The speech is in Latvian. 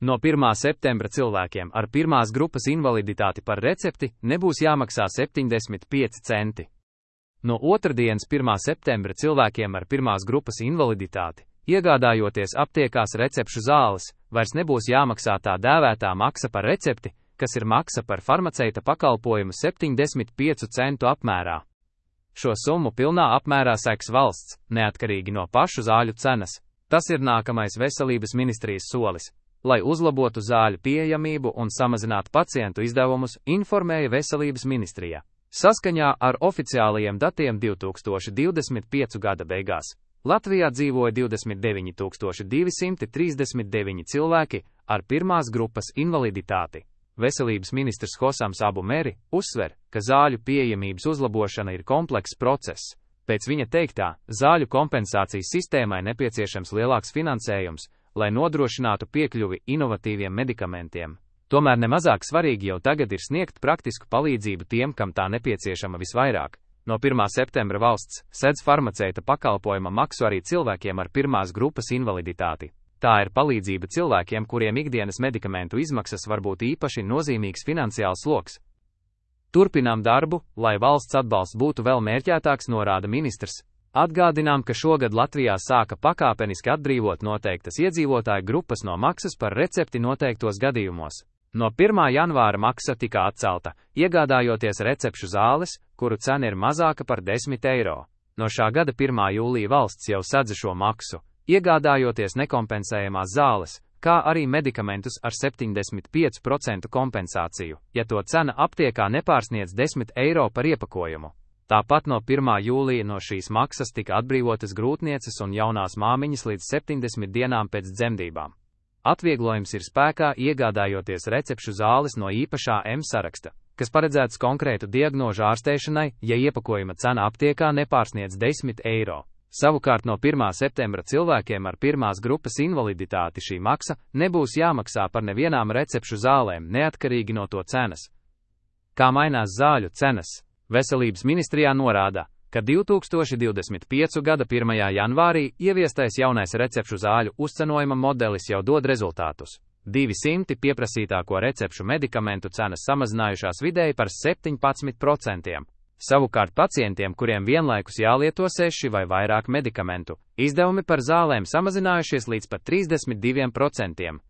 No 1. septembra cilvēkiem ar pirmās grupas invaliditāti par recepti nebūs jāmaksā 75 centi. No otrdienas 1. septembra cilvēkiem ar pirmās grupas invaliditāti, iegādājoties aptiekās recepšu zāles, vairs nebūs jāmaksā tā dēvētā maksa par recepti, kas ir maksa par farmaceita pakalpojumu 75 centu apmērā. Šo summu pilnā apmērā seks valsts, neatkarīgi no pašu zāļu cenas. Tas ir nākamais veselības ministrijas solis, lai uzlabotu zāļu pieejamību un samazinātu pacientu izdevumus, informēja veselības ministrija. Saskaņā ar oficiālajiem datiem 2025. gada beigās Latvijā dzīvoja 29 239 cilvēki ar pirmās grupas invaliditāti. Veselības ministrs Hosams Abu Meri uzsver, ka zāļu pieejamības uzlabošana ir komplekss process. Pēc viņa teiktā, zāļu kompensācijas sistēmai nepieciešams lielāks finansējums, lai nodrošinātu piekļuvi inovatīviem medikamentiem. Tomēr nemazāk svarīgi jau tagad ir sniegt praktisku palīdzību tiem, kam tā nepieciešama visvairāk. No 1. septembra valsts sedz farmaceita pakalpojuma maksu arī cilvēkiem ar pirmās grupas invaliditāti. Tā ir palīdzība cilvēkiem, kuriem ikdienas medikamentu izmaksas var būt īpaši nozīmīgs finansiāls sloks. Turpinām darbu, lai valsts atbalsts būtu vēl mērķētāks, norāda ministrs. Atgādinām, ka šogad Latvijā sāka pakāpeniski atbrīvot noteiktas iedzīvotāju grupas no maksas par recepti noteiktos gadījumos. No 1. janvāra maksa tika atcelta, iegādājoties recepšu zāles, kuru cena ir mazāka par 10 eiro. No šā gada 1. jūlija valsts jau sadz šo maksu, iegādājoties nekompensējamās zāles, kā arī medikamentus ar 75% kompensāciju, ja to cena aptiekā nepārsniedz 10 eiro par iepakojumu. Tāpat no 1. jūlija no šīs maksas tika atbrīvotas grūtnieces un jaunās māmiņas līdz 70 dienām pēc dzemdībām. Atvieglojums ir spēkā iegādājoties recepšu zāles no īpašā saraksta, kas paredzēts konkrētu diagnožu ārstēšanai, ja iepakojuma cena aptiekā nepārsniedz 10 eiro. Savukārt no 1. septembra cilvēkiem ar pirmās grupas invaliditāti šī maksa nebūs jāmaksā par nevienām recepšu zālēm, neatkarīgi no to cenas. Kā mainās zāļu cenas? Veselības ministrijā norāda, ka 2025. gada 1. janvārī ieviestais jaunais recepšu zāļu uzcenojuma modelis jau dod rezultātus. 200 pieprasītāko recepšu medikamentu cenas samazinājušās vidēji par 17%. Savukārt pacientiem, kuriem vienlaikus jālieto 6 vai vairāk medikamentu, izdevumi par zālēm samazinājušies līdz pat 32%.